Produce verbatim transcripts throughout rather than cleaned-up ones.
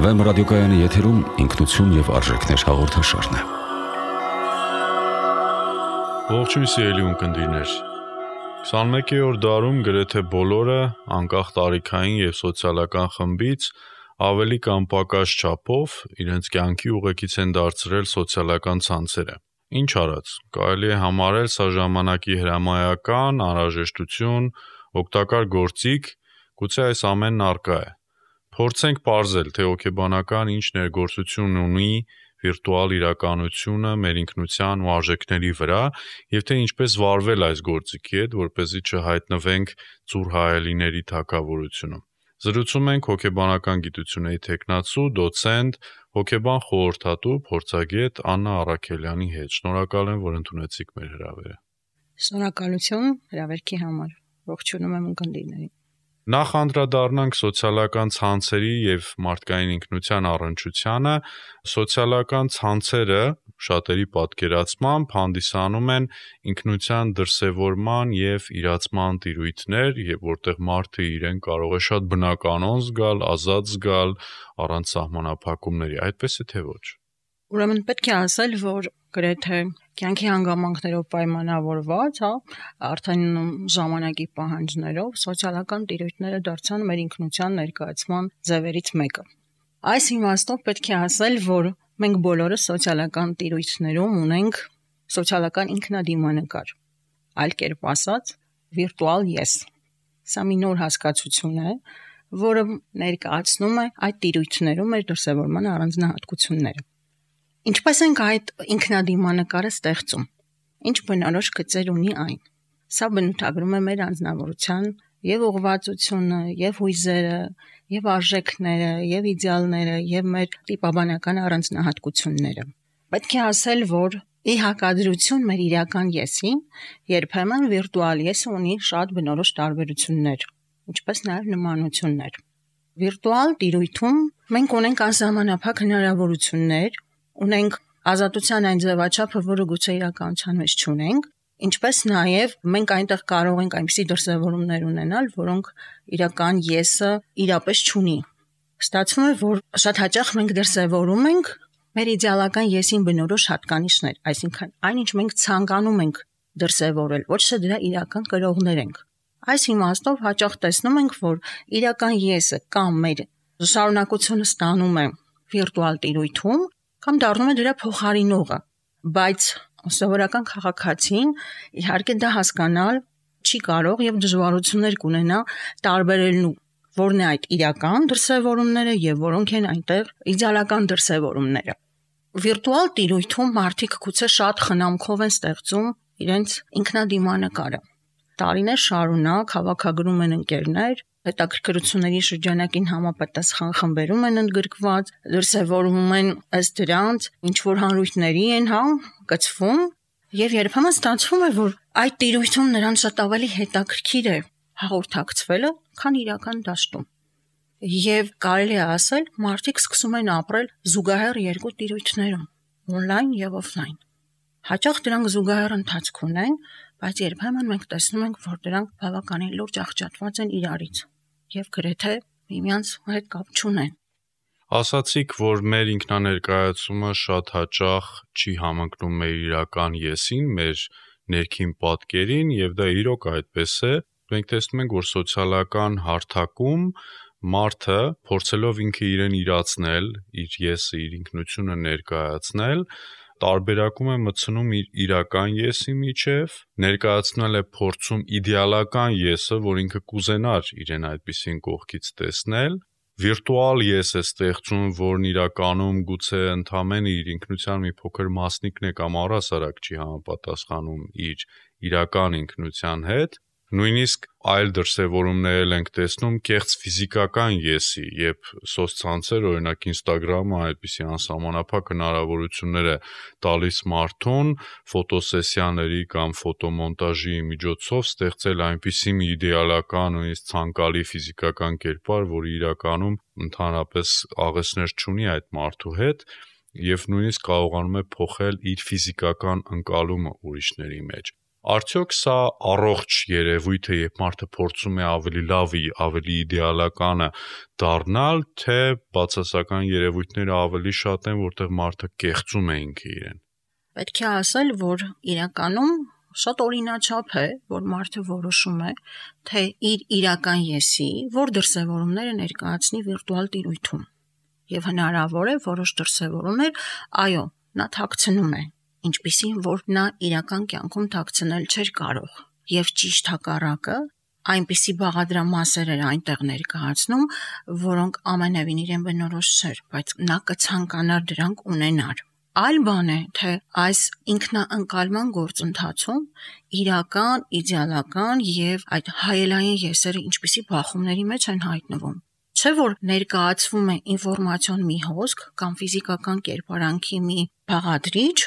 Վեմ ռադիոկայանի եթերում ինքնություն եւ արժեքներ հաղորդաշարն է։ Ողջույն սիրելի ունկնդիրներ։ քսանմեկերորդ դարում գրեթե բոլորը, անկախ տարիքային եւ սոցիալական խմբից, ավելի կամ պակաս չափով իրենց կյանքի ուղեկից են դարձրել սոցիալական ցանցերը։ Ինչ արած, կարելի է համարել սա ժամանակի հրամայական, անհրաժեշտություն, օգտակար գործիք, գուցե այս ամենն առկա է։ Փորձենք պարզել, թե հոգեբանական ինչ ներգործություն ունի վիրտուալ իրականությունը մեր ինքնության ու արժեքների վրա եւ թե ինչպես վարվել այս գործիքի հետ, որպեսզի չհայտնվենք ծուռ հայելիների թագավորությունում։ Զրուցում ենք հոգեբանական գիտությունների թեկնածու, դոցենտ, հոգեբան խորհրդատու, փորձագետ Աննա Առաքելյանի հետ։ Շնորհակալ եմ, որ ընդունեցիք մեր հրավերը։ Շնորհակալություն հրավերքի համար։ Ողջունում եմ ունկնդիրներին։ Նախ անդրադառնանք սոցիալական ցանցերի եւ մարդկային ինքնության առնչությանը։ Սոցիալական ցանցերը շատերի պատկերացմամբ հանդիսանում են ինքնության դրսևորման եւ իրացման տիրույթներ, եւ որտեղ մարդը իրեն կարող է շատ բնականon զգալ, ազատ զգալ, առանց սահմանափակումների, այդպես է թե ոչ։ Ուրեմն պետք է ասել, որ գրեթե կյանքի հանգամանքներով պայմանավորված, հա, արդեն ժամանակի պահանջներով սոցիալական տիրույթները դարձան մեր ինքնության ներկայացման ձևերից մեկը։ Այս իմաստով պետք է ասել, որ մենք բոլորը սոցիալական տիրույթներում ունենք սոցիալական ինքնադիմանկար, այլ կերպ ասած, վիրտուալ ես։ Սա մի նոր հասկացություն է, որը ներկայացնում է այդ տիրույթներում մեր դրսևորման առանձնահատկությունները։ Ինչպես ենք այդ ինքնադիմանկարը ստեղծում։ Ինչ բնորոշ գծեր ունի այն։ Սա բնութագրում է մեր անձնավորության եւ ուղղվածությունը, եւ հույզերը, եւ արժեքները, եւ իդեալները, եւ մեր տիպաբանական առանձնահատկությունները։ Պետք է ասել, որ ի հակադրություն մեր իրական եսին, երբեմն վիրտուալ եսը ունի շատ բնորոշ տարբերություններ, ինչպես նաեւ նմանություններ։ Վիրտուալ տիրույթում մենք ունենք անսահմանափակ հնարավորություններ, ունենք ազատության այն ձևաչափը, որը գուցե իրականության մեջ չունենք, ինչպես նաև մենք այնտեղ կարող ենք այնպիսի դրսևորումներ ունենալ, որոնք իրական եսը իրապես չունի։ Ստացվում է, որ շատ հաճախ մենք դրսևորում ենք մեր իդեալական եսին բնորոշ հատկանիշներ, այսինքն այնինչ մենք ցանկանում ենք դրսևորել, ոչ թե դրա իրական կրողներ ենք։ Այս իմաստով հաճախ տեսնում ենք, որ իրական եսը կամ մեր շարունակությունը ստանում է վիրտուալ տիրույթում, կամ դառնում է դրա փոխարինողը, բայց սովորական քաղաքացին իհարկե դա հասկանալ չի կարող եւ դժվարություններ կունենա տարբերելու որն է այդ իրական դրսևորումները եւ որոնք են այնտեղ իդեալական դրսևորումները։ Վիրտուալ տիրույթում մարդիկ գուցե շատ խնամքով են ստեղծում իրենց ինքնադիմանկարը։ Տարիներ շարունակ հավաքագրում են ընկերներ, հետաքրքրությունների շրջանակին համապատասխան խմբերում են ընդգրկված, դրսևորվում են ըստ դրանց, ինչ որ հանրույթների են, հա, գծվում, եւ երբեմն ստացվում է, որ այդ տիրույթում նրանց շատ ավելի հետաքրքիր է հաղորդակցվելը, քան իրական դաշտում։ Եվ կարելի է ասել, մարդիկ սկսում են ապրել զուգահեռ երկու տիրույթներում՝ on-line եւ off-line։ Հաճախ դրանք զուգահեռ ընթացք ունեն, բայց երբեմն մենք տեսնում ենք, որ դրանք բավականին լուրջ աղճատված են իրարից եւ գրեթե միմյանց հետ կապ չունեն։ Ասացիք, որ մեր ինքնաներկայացումը շատ հաճախ չի համընկնում մեր իրական եսին, մեր ներքին պատկերին, եւ դա իրոք այդպես է։ Մենք տեսնում ենք, որ սոցիալական հարթակում մարդը փորձելով ինքը իրեն իրացնել, իր եսը, իր ինքնությունը ներկայացնել, տարբերակում է մտցնում իր իրական եսի միջև, ներկայացնել է փորձում իդեալական եսը, որ ինքը կուզենար իրեն այդպիսին կողքից տեսնել, վիրտուալ ես է ստեղծում, որն իրականում գուցե ընդամենը իր ինքնության մի փոքր մասնիկն է կամ առհասարակ չի համապատասխանում իր իրական ինքնության հետ։ Նույնիսկ այլ դրսևորումներ ենք տեսնում կեղծ ֆիզիկական եսի, երբ սոցցանցեր, օրինակ Instagram-ը այդպիսի անսահմանափակ հնարավորություններ է տալիս մարդուն ֆոտոսեսիաների կամ ֆոտոմոնտաժի միջոցով ստեղծել այնպիսի մի իդեալական, նույնիսկ ցանկալի ֆիզիկական կերպար, որը իրականում ընդհանրապես աղեցներ չունի այդ մարդու հետ եւ նույնիսկ կարողանում է փոխել իր ֆիզիկական ընկալումը ուրիշների մեջ։ Արդյոք սա առողջ երևույթ է, երբ մարդը փորձում է ավելի լավի, ավելի իդեալականը դառնալ, թե բացասական երևույթները ավելի շատ են, որտեղ մարդը կեղծում է ինքը իրեն։ Պետք է ասել, որ իրականում շատ օրինաչափ է, որ մարդը որոշում է, թե իր իրական եսի, որ դրսևորումները ներկայացնի վիրտուալ տիրույթում։ Եվ հնարավոր է որոշ դրսևորումներ, այո, նա թաքցնում է, ինչպիսին որ նա իրական կյանքում թաքցնել չէր կարող։ Եվ ճիշտ հակառակը, այնպիսի բաղադրամասեր էր այնտեղ ներկայացնում, որոնք ամենևին իրեն բնորոշ չէր, բայց նա կցանկանար դրանք ունենար։ Այլ բան է, թե այս ինքնաընկալման գործընթացում իրական, իդեալական եւ այդ հայելային եսերը ինչպիսի բախումների մեջ են հայտնվում։ Չէ՞ որ ներկայացվում է ինֆորմացիոն մի հոսք կամ ֆիզիկական կերպարանքի մի բաղադրիչ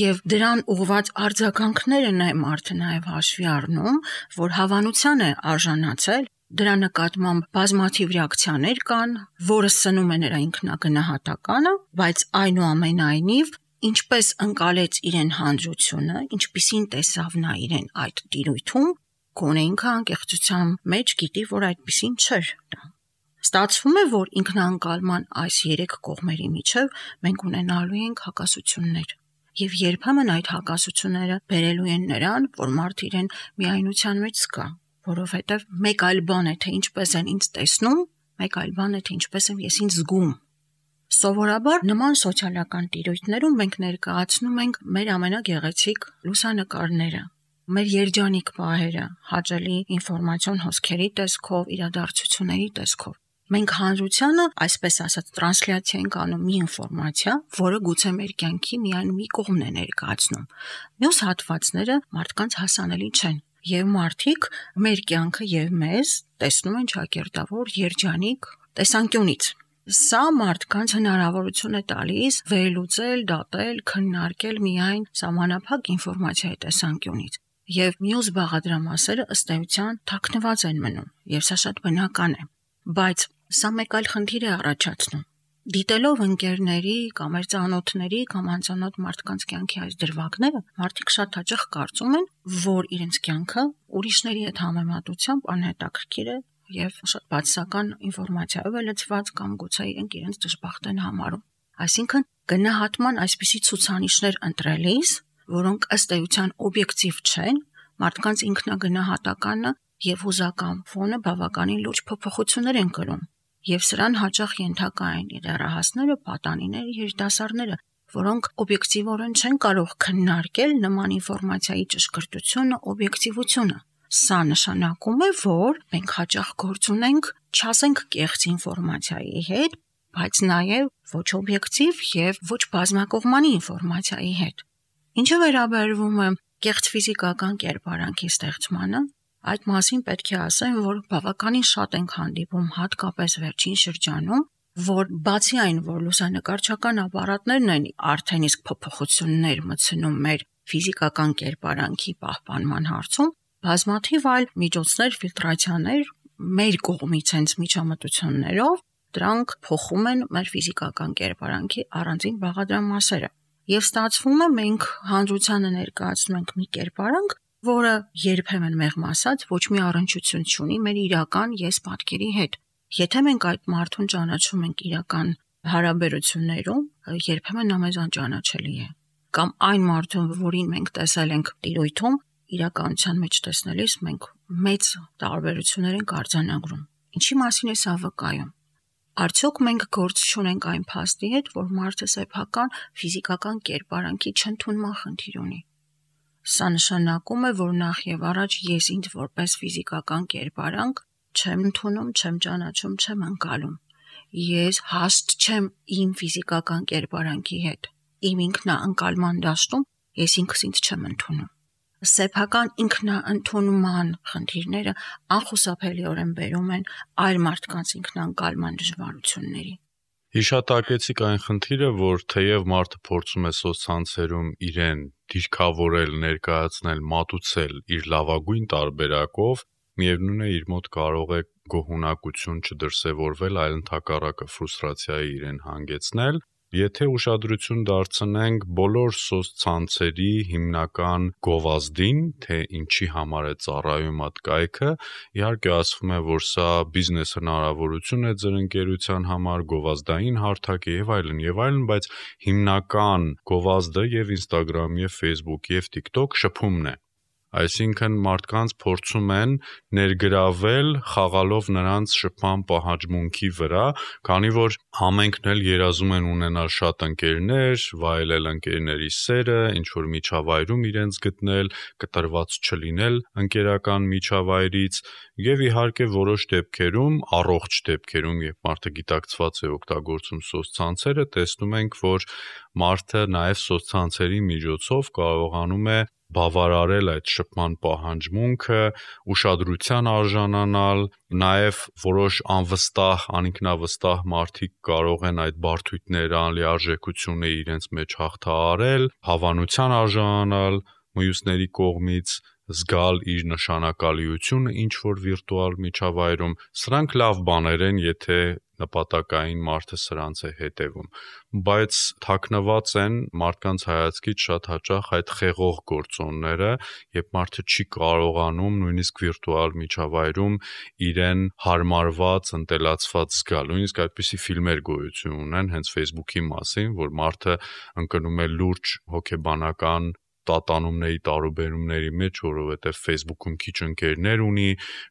եւ դրան ուղված արձագանքները նայ մարդը նաեւ հաշվի առնում, որ հավանության է արժանացել, դրա նկատմամբ բազմաթիվ ռեակցիաներ կան, որը սնում է նրա ինքնագնահատականը, բայց այնուամենայնիվ ինչպես ընկալեց իրեն հանրությունը, ինչպիսին տեսավ նա իրեն այդ տիրույթում, գոնե ինքը անկեղծության մեջ գիտի, որ այդպիսին չէր դա։ Ստացվում է, որ ինքնաընկալման այս երեք կողմերի միջև մենք ունենալու ենք հակասություններ։ Եվ երբեմն այդ հակասությունները բերելու են նրան, որ մարդը իրեն միայնության մեջ զգա, որովհետև մեկ այլ բան է, թե ինչպես են ինձ տեսնում, մեկ այլ բան է, թե ինչպես եմ ես ինձ զգում։ Սովորաբար նման սոցիալական տիրույթներում մենք ներկայացնում ենք մեր ամենագեղեցիկ լուսանկարները, մեր երջանիկ պահերը, հաճելի ինֆորմացիոն հոսքերի տեսքով, իրադարձությունների տեսքով։ Մենք հանրությանը, այսպես ասած, տրանսլյացիա ենք անում մի ինֆորմացիա, որը գուցե մեր կյանքի միայն մի կողմն է ներկայացնում։ Մյուս հատվածները մարդկանց հասանելի չեն, եւ մարդիկ մեր կյանքը եւ մեզ տեսնում են ճակերտավոր երջանիկ տեսանկյունից։ Սա մարդկանց հնարավորություն է տալիս վերլուծել, դատել, քննարկել միայն սահմանափակ ինֆորմացիայի տեսանկյունից։ Եվ մյուս բաղադրամասերը ըստ էության թաքնված են մնում, եւ սա շատ բնական է։ Բայց սա մեկ այլ խնդիր է առաջացնում։ Դիտելով ընկերների կամ մեր ծանոթների կամ անծանոթ մարդկանց կյանքի այս դրվագները, մարդիկ շատ հաճախ կարծում են, որ իրենց կյանքը ուրիշների հետ համեմատությամբ անհետաքրքիր է եւ շատ բացասական ինֆորմացիայով է լցված կամ գուցե իրենք իրենց դժբախտ են համարում։ Այսինքն գնահատման այսպիսի ցուցանիշներ ընտրելիս, որոնք ըստ էության օբյեկտիվ չեն, մարդկանց ինքնագնահատականը եւ հուզական ֆոնը բավականին լուրջ փոփոխություններ են կրում, եւ սրան հաճախ ենթակա են դեռահասները, պատանիները, երիտասարդները, որոնք օբյեկտիվորեն չեն կարող քննարկել նման ինֆորմացիայի ճշգրտությունը, օբյեկտիվությունը։ Սա նշանակում է, որ մենք հաճախ գործ ունենք, չասենք կեղծ ինֆորմացիայի հետ, բայց նաեւ ոչ օբյեկտիվ եւ ոչ բազմակողմանի ինֆորմացիայի հետ։ Ինչը վերաբերվում է կեղծ ֆիզիկական կերպարանքի ստեղծմանը, այդ մասին պետք է ասեմ, որ բավականին շատ ենք հանդիպում հատկապես վերջին շրջանում, որ բացի այն, որ լուսանկարչական ապարատներն են արդեն իսկ փոփոխություններ մտցնում մեր ֆիզիկական կերպարանքի պահպանման հարցում, բազմաթիվ այլ միջոցներ, ֆիլտրացիաներ մեր կողմից հենց միջամտություններով դրանք փոխում են մեր ֆիզիկական կերպարանքի առանձին բաղադրամասերը։ Եվ ստացվում է մենք հանրությանը ներկայացնում ենք մի կերպարանք, որը երբեմն մեղմ ասած ոչ մի առնչություն չունի մեր իրական ես պատկերի հետ։ Եթե մենք այդ մարդուն ճանաչում ենք իրական հարաբերություններում, երբեմն նա մեզ անճանաչելի է։ Կամ այն մարդուն, որին մենք տեսել ենք տիրույթում, իրականության մեջ տեսնելիս մենք մեծ տարբերություններ ենք արձանագրում։ Ինչի մասին է սա վկայում։ Արդյոք մենք գործ չունենք այն փաստի հետ, որ մարդը սեփական ֆիզիկական կերպարանքի չընդունման խնդիր ունի։ Սա նշանակում է, որ նախ եւ առաջ ես ինձ որպես ֆիզիկական կերպարանք չեմ ընդունում, չեմ ճանաչում, չեմ ընկալում։ Ես հաստ չեմ իմ ֆիզիկական կերպարանքի հետ։ Իմ ինքնաընկալման դաշտում ես ինքս ինձ չեմ ընդունում։ Սեփական ինքնաընդունման խնդիրները անխուսափելիորեն բերում են այլ մարդկանց ինքնաընկալման դժվարությունների։ Հիշատակեցիք այն խնդիրը, որ թեև մարդը փորձում է սոցցանցերում իրեն դիրքավորել, ներկայացնել, մատուցել իր լավագույն տարբերակով, միևնույն է իր մոտ կարող է գոհունակություն չդրսևորվել, այլ ընդհակառակը ֆրուստրացիայի իրեն հանգեցնել, Եթե ուշադրություն դարձնենք բոլոր սոցցանցերի հիմնական գովազդին, թե ինչի համար է ծառայում այդ կայքը, իհարկե ասվում է, որ սա բիզնես հնարավորություն է ձեր ընկերության համար, գովազդային հարթակ է եւ այլն եւ այլն, բայց հիմնական գովազդը եւ Instagram, եւ Facebook, եւ TikTok շփումն է։ Այսինքն մարդկանց փորձում են ներգրավել խաղալով նրանց շփման պահանջմունքի վրա, քանի որ ամենքն էլ երազում են ունենալ շատ ընկերներ, վայելել ընկերների սերը, ինչ որ միջավայրում իրենց գտնել, կտրված չլինել ընկերական միջավայրից, եւ իհարկե որոշ դեպքերում, առողջ դեպքերում, երբ մարդը գիտակցված է օգտագործում սոցցանցերը, տեսնում ենք, որ մարդը նաեւ սոցցանցերի միջոցով կարողանում է բավարարել այդ շփման պահանջմունքը, ուշադրության արժանանալ, նաև որոշ անվստահ, անինքնավստահ մարդիկ կարող են այդ բարդույթները, անլիարժեքությունը իրենց մեջ հաղթահարել, հավանության արժանանալ մյուսների կողմից, զգալ իր նշանակալիությունը ինչ որ վիրտուալ միջավայրում, սրանք լավ բաներ են, եթե նպատակային մարդը սրանց է հետևում, բայց թաքնված են մարդկանց հայացքից շատ հաճախ այդ խեղող գործոնները, երբ մարդը չի կարողանում նույնիսկ վիրտուալ միջավայրում իրեն հարմարված, ընտելացված զգալ, նույնիսկ այդպիսի ֆիլմեր գոյություն ունեն հենց Facebook-ի մասին, որ մարդը ընկնում է լուրջ հոգեբանական տատանումների տարուբերումների մեջ, որովհետև Facebook-ում քիչ ընկերներ ունի,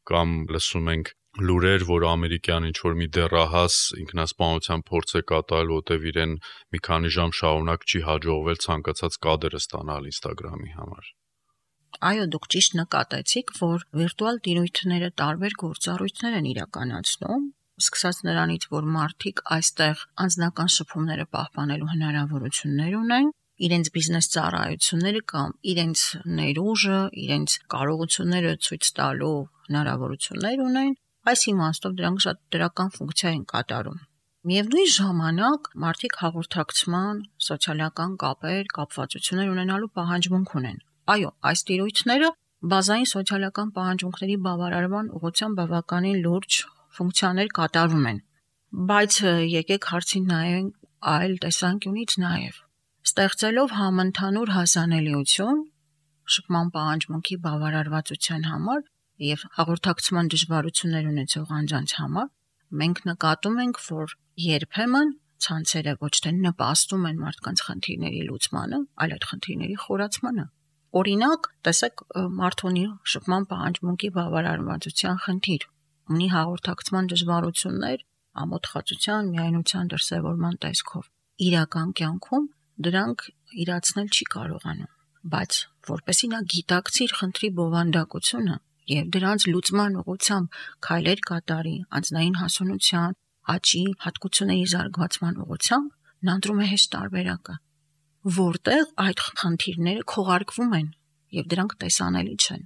կամ լսում ենք լուրեր, որ ամերիկյան ինչ-որ մի դեռահաս ինքնասպանության փորձ է կատարել, որտեղ իրեն մի քանի ժամ շարունակ չի հաջողվել ցանկացած կադրը ստանալ Instagram-ի համար։ Այո, դուք ճիշտ նկատեցիք, որ վիրտուալ տիրույթները տարբեր գործառույթներ են իրականացնում, սկսած նրանից, որ մարդիկ այստեղ անձնական շփումները պահպանելու հնարավորություններ ունեն, իրենց բիզնես ծառայությունները կամ իրենց ներուժը, իրենց կարողությունները ցույց տալու հնարավորություններ ունեն, այս իմաստով դրանք շատ դրական ֆունկցիա են կատարում։ Միևնույն ժամանակ մարդիկ հաղորդակցման, սոցիալական կապեր, կապվածություններ ունենալու պահանջմունք ունեն։ Այո, այս տիրույթները բազային սոցիալական պահանջմունքների բավարարման ուղղությամբ բավականին լուրջ ֆունկցիաներ կատարում են։ Բայց եկեք հարցին նայենք այլ տեսանկյունից նաև։ Ստեղծելով համընդհանուր հասանելիություն շփման պահանջմունքի բավարարվածության համար եւ հաղորդակցման դժվարություններ ունեցող անձանց համար, մենք նկատում ենք, որ երբեմն ցանցերը ոչ թե նպաստում են մարդկանց խնդիրների լուծմանը, այլ այդ խնդիրների խորացմանը։ Օրինակ, տեսեք, մարդ ունի շփման պահանջմունքի բավարարվածության խնդիր, ունի հաղորդակցման դժվարություններ, ամոթխածության, միայնության դրսևորման տեսքով։ Իրական կյանքում դրանք իրացնել չի կարողանում, բայց որպեսզի նա գիտակցի իր խնդրի բովանդակությունը եւ դրանց լուծման ուղղությամբ քայլեր կատարի անձնային հասունության, աճի, հատկությունների զարգացման ուղղությամբ, նա ընտրում է հեշտ տարբերակը, որտեղ այդ խնդիրները քողարկվում են եւ դրանք տեսանելի չեն,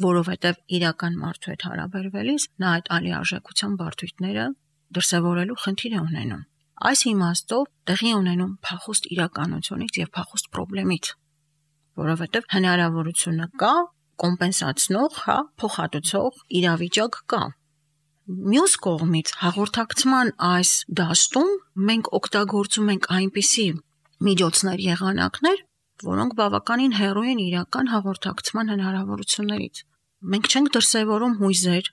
որովհետեւ իրական մարդու հետ հարաբերվելիս նա այդ անլիարժեքության բարդույթները դրսևորելու խնդիր է ունենում։ Այս իմաստով տեղի ունենում փախուստ իրականությունից եւ փախուստ խնդրից, որովհետեւ հնարավորությունը կա կոմպենսացնող, հա, փոխհատուցող իրավիճակ կա։ Մյուս կողմից հաղորդակցման այս դաշտում մենք օգտագործում ենք այնպիսի միջոցներ, եղանակներ, որոնք բավականին հեռու են իրական հաղորդակցման հնարավորություններից։ Մենք չենք դրսևորում հույզեր,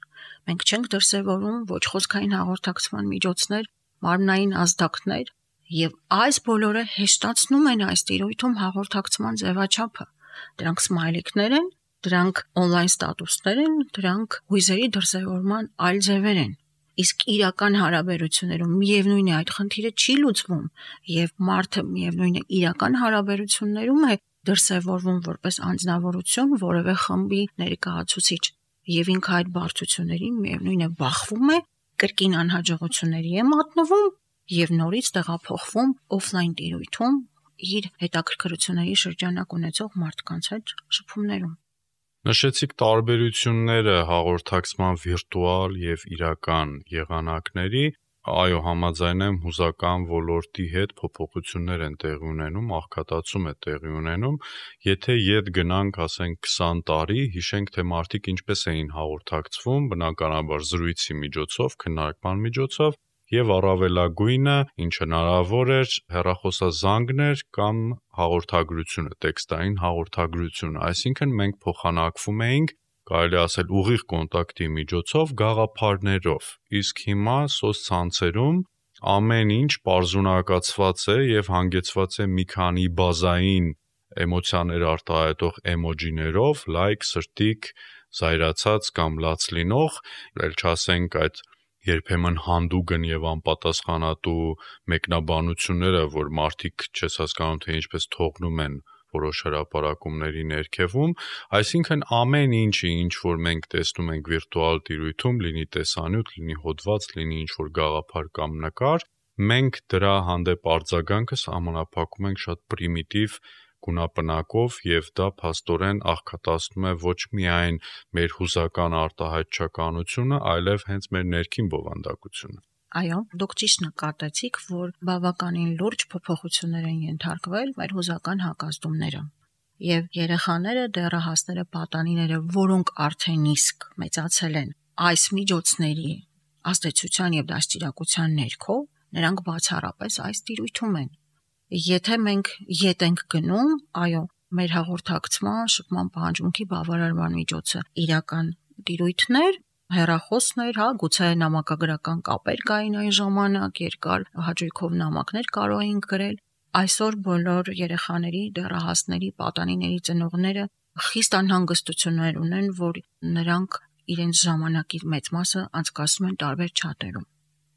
մենք չենք դրսևորում ոչ խոսքային հաղորդակցման միջոցներ, մարմնային ազդակներ, եւ այս բոլորը հեշտացնում են այս տիրույթում հաղորդակցման ձևաչափը։ Դրանք սմայլիկներ են, դրանք on-line ստատուսներ են, դրանք հույզերի դրսևորման այլ ձևեր են։ Իսկ իրական հարաբերություններում միևնույն է այդ խնդիրը չի լուծվում եւ մարդը միևնույն է իրական հարաբերություններում է դրսևորվում որպես անձնավորություն, որևէ խմբի ներկայացուցիչ եւ ինքը այդ բարդությունների միևնույն է բախվում է, կրկին անհաջողությունների է մատնվում եւ նորից տեղափոխվում օֆլայն տիրույթում իր հետաքրքրությունների շրջանակ ունեցող մարդկանց հետ շփումներում։ Նշեցիք տարբերությունները հաղորդակցման վիրտուալ եւ իրական եղանակների, այո, համաձայն եմ, հուզական ոլորտի հետ փոփոխություններ են տեղի ունենում, աղքատացում է տեղի ունենում, եթե ետ գնանք, ասենք քսան տարի, հիշենք, թե մարդիկ ինչպես էին հաղորդակցվում, բնականաբար զրույցի միջոցով, քննարկման միջոցով, եւ առավելագույնը, ինչ հնարավոր էր, հեռախոսազանգն էր կամ հաղորդագրությունը, տեքստային հաղորդագրությունը, այսինքն մենք փոխանակվում էինք, կարելի ասել ուղիղ կոնտակտի միջոցով գաղափարներով, իսկ հիմա սոցցանցերում ամեն ինչ պարզունակացված է եւ հանգեցված է մի քանի բազային էմոցիաներ արտահայտող էմոջիներով, լայք, սրտիկ, զայրացած կամ լաց լինող, ել չասենք այդ երբեմն հանդուգն եւ անպատասխանատու մեկնաբանությունները, որ մարդիկ չես հասկանում թե ինչպես թողնում են որոշ հրապարակումների ներքևում, այսինքն ամեն ինչը, ինչ որ մենք տեսնում ենք վիրտուալ տիրույթում, լինի տեսանյութ, լինի հոդված, լինի ինչ որ գաղափար կամ նկար, մենք դրա հանդեպ արձագանքը սահմանափակում ենք շատ պրիմիտիվ գունապնակով եւ դա փաստորեն աղքատացնում է ոչ միայն մեր հուզական արտահայտչականությունը, այլև հենց մեր ներքին բովանդակությունը։ Այո, դուք ճիշտ նկատեցիք, որ բավականին լուրջ փոփոխություններ են ենթարկվել մեր հուզական հակազդումները։ Եվ երեխաները, դեռահասները, պատանիները, որոնք արդեն իսկ մեծացել են այս միջոցների ազդեցության եւ դաստիարակության ներքո, նրանք բացառապես այս տիրույթում են։ Եթե մենք ետ ենք գնում, այո, մեր հաղորդակցման, շփման պահանջմունքի բավարարման միջոցը իրական տիրույթներ, հեռախոսներ, հա, գուցե նամակագրական կապեր կային այն ժամանակ, երկար հաճույքով նամակներ կարող էինք գրել։ Այսօր բոլոր երեխաների, դեռահասների, պատանիների ծնողները խիստ անհանգստություններ ունեն, որ նրանք իրենց ժամանակի մեծ մասը անցկացնում են տարբեր չաթերում։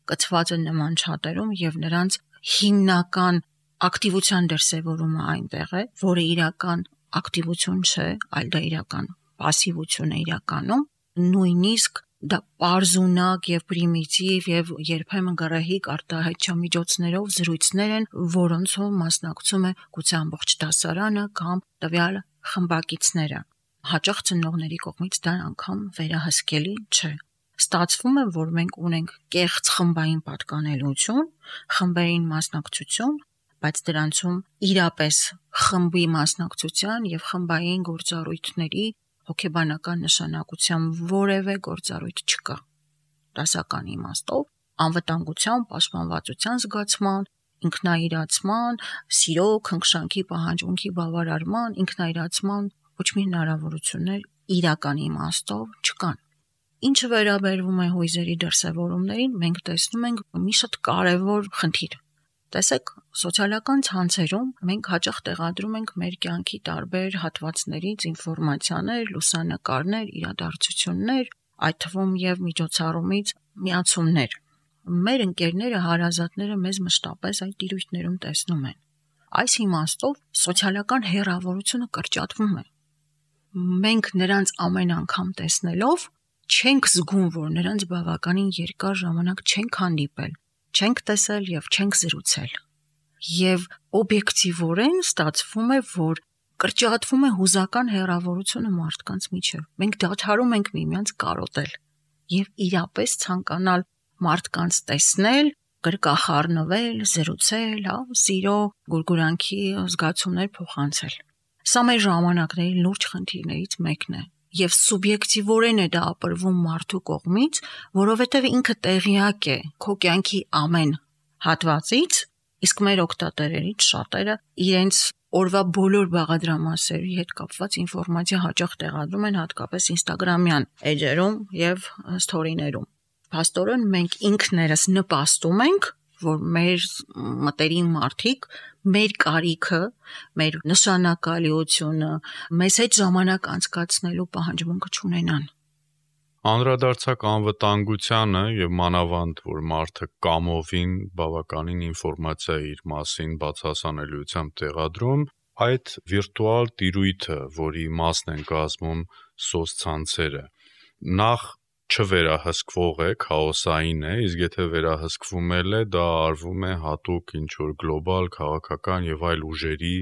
Կցված են նման չաթերում եւ նրանց հիմնական ակտիվության դրսևորումը այնտեղ է, որը իրական ակտիվություն չէ, այլ դա իրական пассивություն է իրականում, նույնիսկ դա պարզունակ եւ պրիմիտիվ եւ երբեմն գրահիկ արտահայտչամիջոցներով զրույցներ են, որոնցով մասնակցում է գուցե ամբողջ դասարանը կամ տվյալ խմբակիցները։ Հաճախ ծնողների կողմից դա անգամ վերահսկելի չէ։ Ստացվում է, որ մենք ունենք կեղծ խմբային պատկանելություն, խմբային մասնակցություն, բայց դրանցում իրապես խմբի մասնակցության եւ խմբային գործառույթների հոգեբանական նշանակության որևէ գործառույթ չկա։ Դասական իմաստով անվտանգության, պաշտպանվածության զգացման, ինքնայիրացման, սիրո, քնքշանքի պահանջմունքի բավարարման, ինքնայիրացման ոչ մի հնարավորություններ իրական իմաստով չկան։ Ինչը վերաբերվում է հույզերի դրսևորումներին, մենք տեսնում ենք մի շատ կարևոր խնդիր։ Տեսեք, սոցիալական ցանցերում մենք հաճախ տեղադրում ենք մեր կյանքի տարբեր հատվածներից ինֆորմացիաներ, լուսանկարներ, իրադարձություններ, այդ թվում եւ միջոցառումից միացումներ։ Մեր ընկերները, հարազատները մեզ մշտապես այդ տիրույթներում տեսնում են։ Այս իմաստով սոցիալական հեռավորությունը կրճատվում է։ Մենք նրանց ամեն անգամ տեսնելով չենք զգում, որ նրանց բավականին երկար ժամանակ չենք հանդիպել, չենք տեսել եւ չենք զրուցել։ Եվ օբյեկտիվորեն ստացվում է, որ կրճատվում է հուզական հեռավորությունը մարդկանց միջև։ Մենք դադարում ենք միմյանց կարոտել եւ իրապես ցանկանալ մարդկանց տեսնել, գրկախառնվել, զրուցել, հա, սիրո, գուրգուրանքի զգացումներ փոխանցել։ Սա մեր ժամանակների լուրջ խնդիրներից մեկն է։ Եվ սուբյեկտիվորեն է դա ապրվում մարդու կողմից, որովհետև ինքը տեղյակ է քո կյանքի ամեն հատվածից, իսկ մեր օգտատերերից շատերը իրենց օրվա բոլոր բաղադրամասերի հետ կապված ինֆորմացիա հաճախ տեղադրում են հատկապես Instagram-յան էջերում եւ սթորիներում։ Փաստորեն մենք ինքներս նպաստում ենք, որ մեր մտերիմ մարդիկ մեր կարիքը, մեր նշանակալիությունը, մեզ հետ ժամանակ անցկացնելու պահանջմունքը չունենան։ Անդրադարձակ անվտանգությանը եւ մանավանդ, որ մարդը կամովին բավականին ինֆորմացիա իր մասին բացահասանելիությամբ տեղադրում, այդ վիրտուալ տիրույթը, որի մասն են կազմում սոցցանցերը, նախ չվերահսկվող է, քաոսային է, իսկ եթե վերահսկվում էլ է, դա արվում է հատուկ ինչ-որ գլոբալ, քաղաքական եւ այլ ուժերի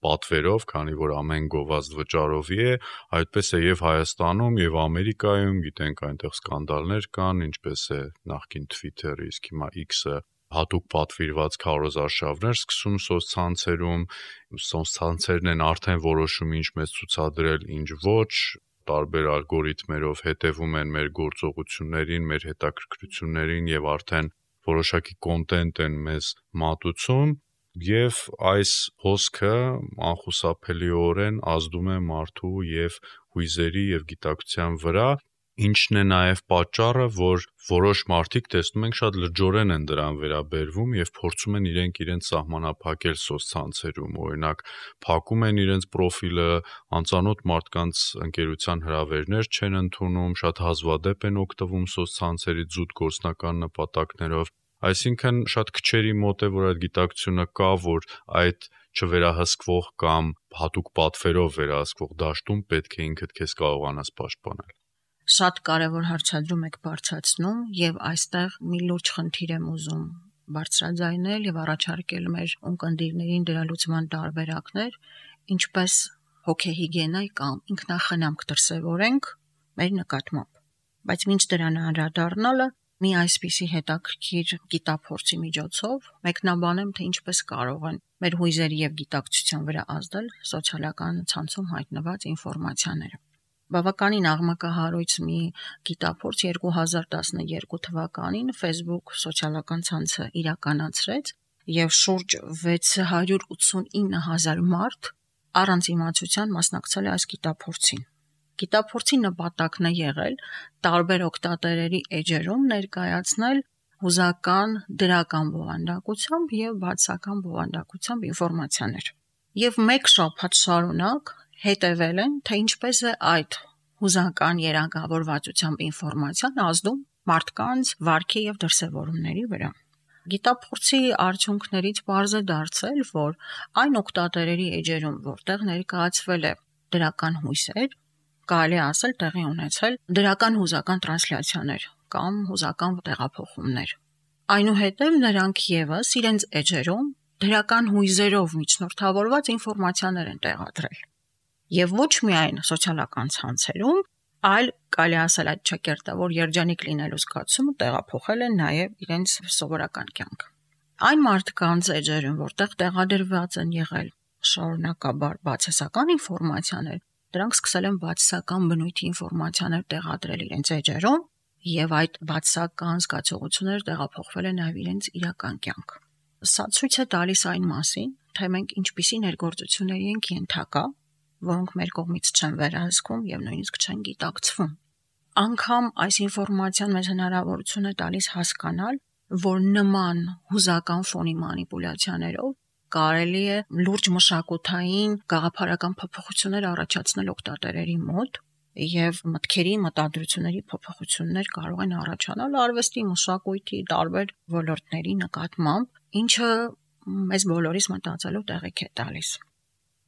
պատվերով, քանի որ ամեն գովազդ վճարովի է, այդպես է եւ Հայաստանում եւ Ամերիկայում, գիտենք այնտեղ սկանդալներ կան, ինչպես է նախկին Twitter-ը, իսկ հիմա X-ը հատուկ պատվիրված քարոզարշավներ սկսում սոցցանցերում, սոցցանցերն են արդեն որոշում ինչ մեզ ցուցադրել, ինչ ոչ, տարբեր ալգորիթմերով հետևում են մեր գործողություններին, մեր հետաքրքրություններին եւ արդեն որոշակի կոնտենտ են մեզ մատուցում եւ այս հոսքը անխուսափելիորեն ազդում է մարդու եւ հույզերի եւ գիտակցության վրա, ինչն է նաեւ պատճառը, որ որոշ մարդիկ տեսնում ենք շատ լրջորեն են դրան վերաբերվում եւ փորձում են իրենք իրենց սահմանափակել սոցցանցերում, օրինակ փակում են իրենց պրոֆիլը, անծանոթ մարդկանց ընկերության հրավերներ չեն ընդունում, շատ հազվադեպ են օգտվում սոցցանցերի զուտ գործնական նպատակներով, այսինքն շատ քչերի մոտ է, որ այդ գիտակցությունը կա, որ այդ չվերահսկվող կամ հատուկ պատվերով վերահսկվող դաշտում պետք է ինքդ քեզ կարողանաս պաշտպանել։ Շատ կարևոր հարցադրում եք բարձրացնում եւ այստեղ մի լուրջ խնդիր եմ ուզում բարձրաձայնել եւ առաջարկել մեր ունկնդիրներին դրա լուծման տարբերակներ, ինչպես հոգեհիգիենայի կամ ինքնախնամք դրսևորենք մեր նկատմամբ։ Բայց մինչ դրան անդրադառնալը մի այսպիսի հետաքրքիր գիտափորձի միջոցով մեկնաբանեմ, թե ինչպես կարող են մեր հույզերի եւ գիտակցության վրա ազդել սոցիալական ցանցում հայտնված ինֆորմացիաները։ Բավականին աղմկահարույց մի գիտափորձ երկու հազար տասներկու թվականին Facebook սոցիալական ցանցը իրականացրեց եւ շուրջ վեց հարյուր ութսունինը հազար մարդ առանց իմացության մասնակցել է այս գիտափորձին։ Գիտափորձի նպատակն է եղել տարբեր օգտատերերի էջերում ներկայացնել հուզական դրական բովանդակությամբ եւ բացասական բովանդակությամբ ինֆորմացիաներ։ Եվ մեկ շաբաթ շարունակ հետևել են, թե ինչպես է այդ հուզական երանգավորվածությամբ ինֆորմացիան ազդում մարդկանց վարքի եւ դրսևորումների վրա։ Գիտափորձի արդյունքներից պարզ է դարձել, որ այն օգտատերերի էջերում, որտեղ ներկայացվել է դրական հույսեր, կարելի ասել տեղի ունեցել դրական հուզական տրանսլյացիաներ կամ հուզական տեղափոխումներ։ Այնուհետև նրանք եւս իրենց էջերում դրական հույզերով միջնորդավորված ինֆորմացիաներ են տեղադրել։ Եվ ոչ միայն սոցիալական ցանցերում, այլ կարելի ասել այդ ճակերտավոր երջանիկ լինելու զգացումը տեղափոխել են նաև իրենց սովորական կյանք։ Այն մարդկանց էջերում, որտեղ տեղադրված են եղել շարունակաբար բացասական ինֆորմացիաներ, դրանք սկսել են բացասական բնույթի ինֆորմացիաներ տեղադրել իրենց էջերում, եւ այդ բացասական զգացողությունները տեղափոխվել են նաև իրենց իրական կյանք։ Սա ցույց է տալիս այն մասին, թե մենք ինչպիսի ներգործությունների ենք ենթակա, որոնք մեր կողմից չեն վերահսկվում եւ նույնիսկ չեն գիտակցվում։ Անկամ այս ինֆորմացիան մեզ հնարավորություն է տալիս հասկանալ, որ նման հուզական ֆոնի մանիպուլյացիաներով կարելի է լուրջ մշակութային գաղափարական փոփոխություններ առաջացնել օգտատերերի մոտ եւ մտքերի, մտադրությունների փոփոխություններ կարող են առաջանալ արվեստի, մշակույթի տարբեր ոլորտների նկատմամբ, ինչը մեզ բոլորիս մտածելու տեղիք է տալիս։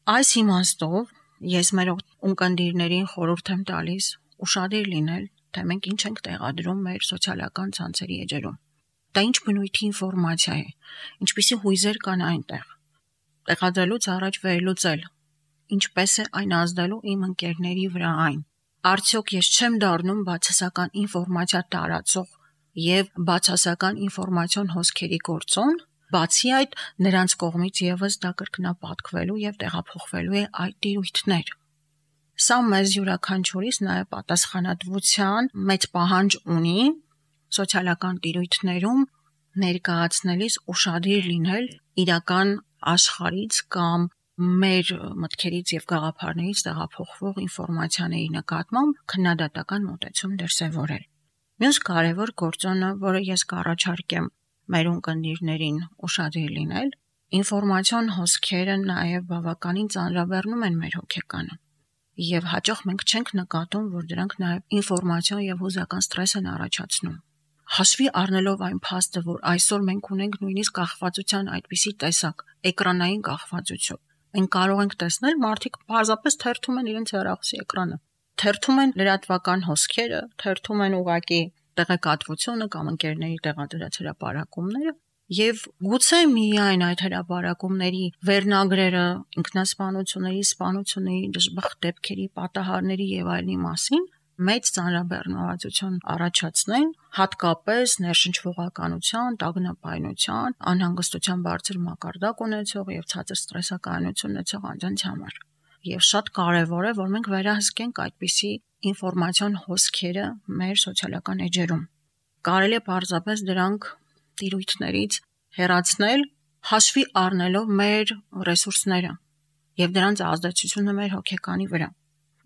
Այս իմաստով ես մեր ունկնդիրներին խորհուրդ եմ տալիս ուշադիր լինել, թե մենք ինչ ենք տեղադրում մեր սոցիալական ցանցերի էջերում։ Դա ինչ բնույթի ինֆորմացիա է, ինչպիսի հույզեր կան այնտեղ։ Տեղադրելուց առաջ վերլուծել, ինչպես է այն ազդելու իմ ընկերների վրա այն։ Արդյոք ես չեմ դառնում բացասական ինֆորմացիա տարածող եւ բացասական ինֆորմացիոն հոսքերի գործոն, բացի այդ նրանց կողմից եւս դա կրկնապատկվելու եւ տեղափոխվելու է այդ տիրույթներ։ Սա մեզ յուրաքանչյուրիս նաեւ պատասխանատվության մեծ պահանջ ունի սոցիալական տիրույթներում ներկայացնելիս ուշադիր լինել իրական աշխարհից կամ մեր մտքերից եւ գաղափարներից տեղափոխվող ինֆորմացիաների նկատմամբ քննադատական մոտեցում դրսևորել։ Մյուս կարևոր գործոնը, որը ես կառաջարկեմ մեր ունկնդիրներին ուշադիր լինել, ինֆորմացիոն հոսքերը նաեւ բավականին ծանրաբեռնում են մեր հոգեկանը։ Եվ հաճախ մենք չենք նկատում, որ դրանք նաեւ ինֆորմացիոն եւ հուզական ստրես են առաջացնում։ Հաշվի առնելով այն փաստը, որ այսօր մենք ունենք նույնիսկ կախվածության այդպիսի տեսակ, էկրանային կախվածություն, մենք կարող ենք տեսնել մարդիկ պարզապես թերթում են իրենց հեռախոսի էկրանը, թերթում են լրատվական հոսքերը, թերթում են ուղակի տեղեկատվությունը կամ ընկերների տեղադրած հրապարակումները, եւ գուցե միայն այդ հրապարակումների վերնագրերը ինքնասպանությունների, սպանությունների, դժբախտ դեպքերի, պատահարների եւ այլնի մասին մեծ ծանրաբեռնվածություն առաջացնեն, հատկապես ներշնչվողականության, տագնապայնության, անհանգստության բարձր մակարդակ ունեցող եւ ցածր ստրեսականություն ունեցող անձանց համար։ Եվ շատ կարեւոր է, որ մենք վերահսկենք այդպիսի ինֆորմացիոն հոսքերը մեր սոցիալական էջերում։ Կարելի է պարզապես դրանք տիրույթներից հեռացնել, հաշվի առնելով մեր ռեսուրսները եւ դրանց ազդեցությունը մեր հոգեկանի վրա։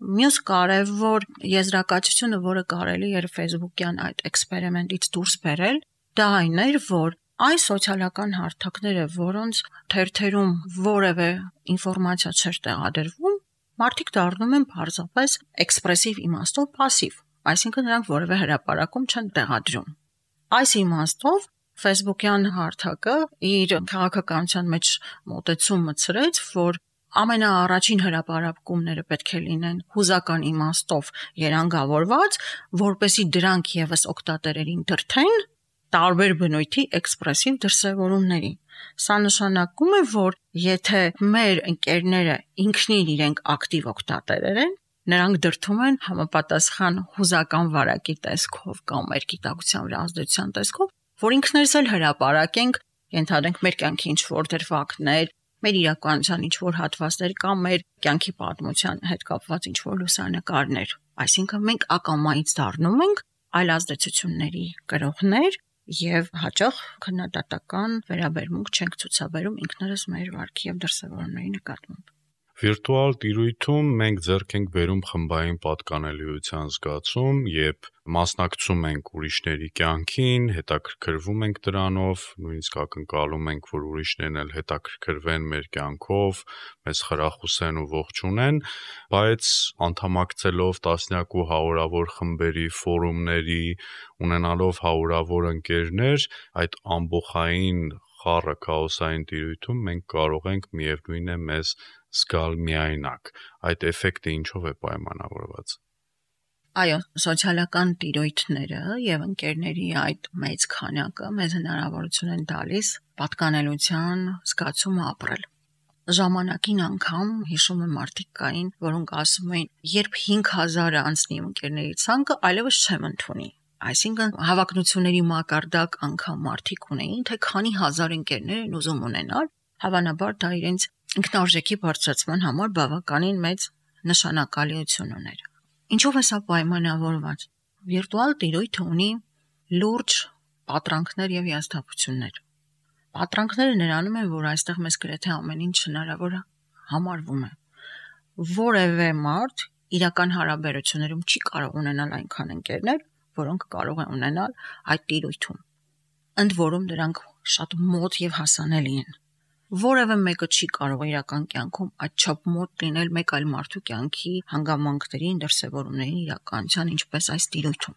Մյուս կարևոր եզրակացությունը, որը կարելի էր Facebook-յան այդ էքսպերիմենտից դուրս բերել, դա այն էր, որ այն սոցիալական հարթակները, որոնց թերթերում որևէ ինֆորմացիա չէր տեղադրվում, մարդիկ դառնում են պարզապես էքսպրեսիվ իմաստով пассив, այսինքն նրանք որևէ հրապարակում չեն տեղադրում։ Այս իմաստով Facebook-յան հարթակը իր քաղաքականության մեջ մոտեցում մտցրեց, որ ամենաառաջին հրապարակումները պետք է լինեն հուզական իմաստով երանգավորված, որպեսզի դրանք եւս օգտատերերին դրթեն տարբեր բնույթի էքսպրեսիվ դրսևորումների։ Սա նշանակում է, որ եթե մեր ընկերները ինքնին իրենք ակտիվ օգտատերեր են, նրանք դրթում են համապատասխան հուզական վարակի տեսքով կամ մեր գիտակցության վրա ազդեցության տեսքով, որ ինքներս էլ հրապարակենք, ենթադրենք մեր կյանքի ինչ-որ դրվագներ, մեր իրականության ինչ-որ հատվածներ կամ մեր կյանքի պատմության հետ կապված ինչ-որ լուսանկարներ։ Այսինքն մենք ակամայից դառնում ենք այլ ազդեցությունների կրողներ եւ հաճախ քննադատական վերաբերմունք չենք ցուցաբերում ինքներս մեր վարքի եւ դրսևորումների նկատմամբ։ Վիրտուալ տիրույթում մենք ձեռք ենք բերում խմբային պատկանելիության զգացում, երբ մասնակցում ենք ուրիշների կյանքին, հետաքրքրվում ենք դրանով, նույնիսկ ակնկալում ենք, որ ուրիշներն էլ հետաքրքրվեն մեր կյանքով, մեզ խրախուսեն ու ողջունեն, բայց անդամակցելով տասնյակ ու հարյուրավոր խմբերի, ֆորումների, ունենալով հարյուրավոր ընկերներ, այդ ամբողջային խառը քաոսային տիրույթում մենք կարող ենք միևնույն է մեզ զգալ միայնակ։ Այդ էֆեկտը ինչով է պայմանավորված։ Այո, սոցիալական տիրույթները եւ ընկերների այդ մեծ քանակը մեզ հնարավորություն են տալիս պատկանելության զգացումը ապրել։ Ժամանակին անգամ հիշում եմ մարդիկ կային, որոնք ասում էին, երբ հինգ հազարը անցնի ընկերների ցանկը, այլևս չեմ ընդունի։ Այսինքն հավակնությունների մակարդակ անգամ մարդիկ ունեին, թե քանի հազար ընկերներ են ուզում ունենալ, հավանաբար դա իրենց ինքնարժեքի բարձրացման համար բավականին մեծ նշանակալիություն ուներ։ Ինչով է սա պայմանավորված։ Վիրտուալ տիրույթը ունի լուրջ պատրանքներ եւ հիասթափություններ։ Պատրանքները նրանում են, որ այստեղ մեզ գրեթե ամեն ինչ հնարավոր համարվում է։ Որևէ մարդ իրական հարաբերություններում չի կարող ունենալ այնքան ընկերներ, որոնք կարող են ունենալ այդ տիրույթում։ Ընդ որում դրանք շատ մոտ եւ հասանելի են։ Որևէ մեկը չի կարող իրական կյանքում այդչափ մոտ լինել մեկ այլ մարդու կյանքի հանգամանքներին, դրսևորումներին, իրականության, ինչպես այս տիրույթում։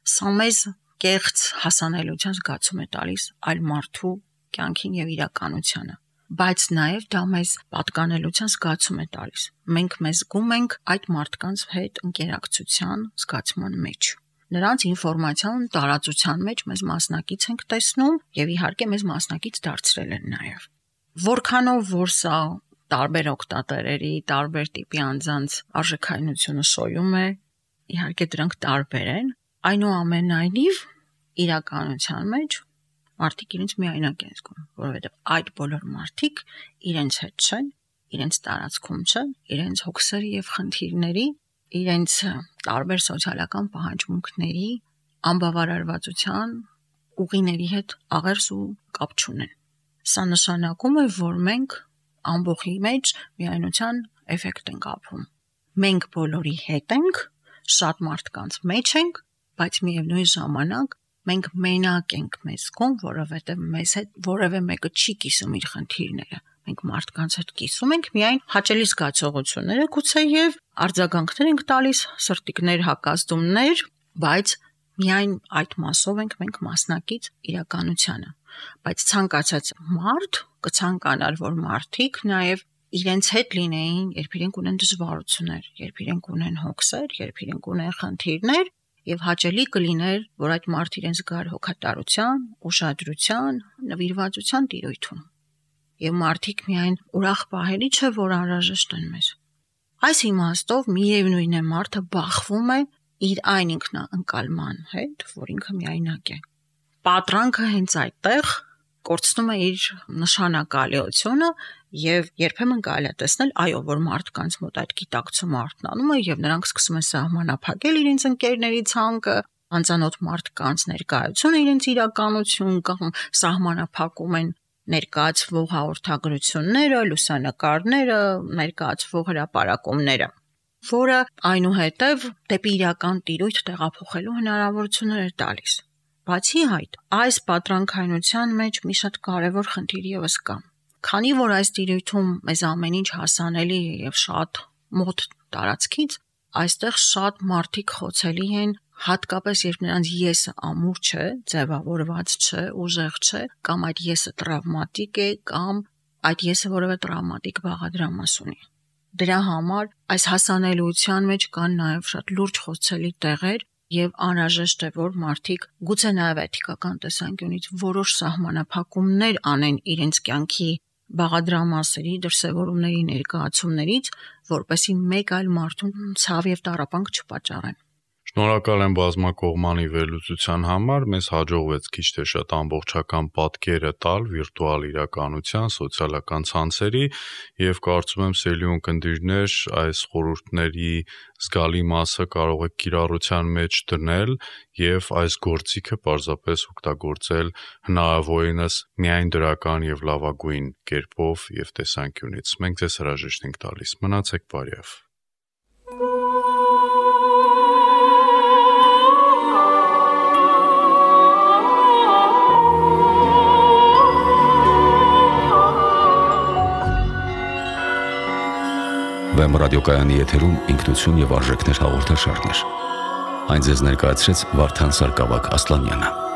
Սա մեզ կեղծ հասանելիության զգացում է տալիս այլ մարդու կյանքին եւ իրականությանը, բայց նաեւ դա մեզ պատկանելիության զգացում է տալիս։ Մենք մեզ զգում ենք այդ մարդկանց հետ ընկերակցության զգացման մեջ։ Նրանց ինֆորմացիան տարածության մեջ մեզ մասնակից ենք տեսնում եւ իհարկե մեզ մասնակից դարձրել են նաեւ։ Որքանով որ սա տարբեր օգտատերերի, տարբեր տիպի անձանց արժեքայնությունը շոյում է, իհարկե դրանք տարբեր են, այնուամենայնիվ իրականության մեջ մարդիկ իրենց միայնակ են զգում, որովհետեւ այդ բոլոր մարդիկ իրենց հետ չեն, իրենց տարածքում չեն, իրենց հոգսերի եւ խնդիրների, իրենց տարբեր սոցիալական պահանջմունքների, անբավարարվածության ուղիների հետ աղերս ու կապ չունեն։ Սա նշանակում է, որ մենք ամբողջի մեջ միայնության էֆեկտ ենք ապրում։ Մենք բոլորի հետ ենք, շատ մարդկանց մեջ ենք, բայց միևնույն ժամանակ մենք մենակ ենք մեզ զգում, որովհետև մեզ հետ որևէ մեկը չի կիսում իր խնդիրները։ Մենք մարդկանց հետ կիսում ենք միայն հաճելի զգացողությունները, գուցե եւ արձագանքներ ենք տալիս, սրտիկներ, հակազդումներ, բայց միայն այդ մասով ենք մենք մասնակից իրականությանը։ Բայց ցանկացած մարդ կցանկանար, որ մարդիկ նաեւ իրենց հետ լինեին, երբ իրենք ունեն դժվարություններ, երբ իրենք ունեն հոգսեր, երբ իրենք ունեն խնդիրներ, եւ հաճելի կլիներ, որ այդ մարդ իրենց զգար հոգատարության, ուշադրության, նվիրվածության տիրույթում։ Եվ մարդիկ միայն ուրախ պահելի չէ, որ անհրաժեշտ են մեզ։ Այս իմաստով միևնույն է մարդը բախվում է իր այն ինքնաընկալման հետ, որ ինքը միայնակ է։ Պատրանքը հենց այդտեղ կորցնում է իր նշանակալիությունը եւ երբեմն կարելի է տեսնել, այո, որ մարդկանց մոտ այդ գիտակցումը արթնանում է եւ նրանք սկսում են սահմանափակել իրենց ընկերների ցանկը, անծանոթ մարդկանց ներկայությունը իրենց իրականություն կամ սահմանափակում են ներկայացվող հաղորդագրությունները, լուսանկարները, ներկայացվող հրապարակումները, որը այնուհետև դեպի իրական տիրույթ տեղափոխելու հնարավորություններ է տալիս։ Բացի այդ, այս պատրանքայնության մեջ մի շատ կարևոր խնդիր ևս կա։ Քանի որ այս տիրույթում մեզ ամեն ինչ հասանելի է եւ շատ մոտ տարածքից, այստեղ շատ մարդիկ խոցելի են, հատկապես երբ նրանց եսը ամուր չէ, ձևավորված չէ, ուժեղ չէ, կամ այդ եսը տրավմատիկ է, կամ այդ եսը որևէ տրավմատիկ բաղադրամաս ունի։ Դրա համար այս հասանելիության մեջ կան նաև շատ լուրջ խոցելի տեղեր եւ անհրաժեշտ է, որ մարդիկ գուցե նաև էթիկական տեսանկյունից որոշ սահմանափակումներ անեն իրենց կյանքի բաղադրամասերի, դրսևորումների, ներկայացումներից, որպեսզի մեկ այլ մարդուն ցավ եւ տառապանք չպատճառեն։ Շնորհակալ եմ բազմակողմանի վերլուծության համար, մեզ հաջողվեց քիչ թե շատ ամբողջական պատկերը տալ վիրտուալ իրականության, սոցիալական ցանցերի եւ կարծում եմ սիրելի ունկնդիրներ այս խորհուրդների զգալի մասը կարող եք կիրառության մեջ դնել եւ այս գործիքը պարզապես օգտագործել հնարավորինս միայն դրական եւ լավագույն կերպով եւ տեսանկյունից։ Մենք ձեզ հրաժեշտ ենք տալիս։ Մնացեք բարյավ։ Վեմ ռադիոկայանի եթերում ինքնություն եւ արժեքներ հաղորդաշարներ։ Այն ձեզ ներկայացրեց Վարդան Սարգսակ Ասլանյանը։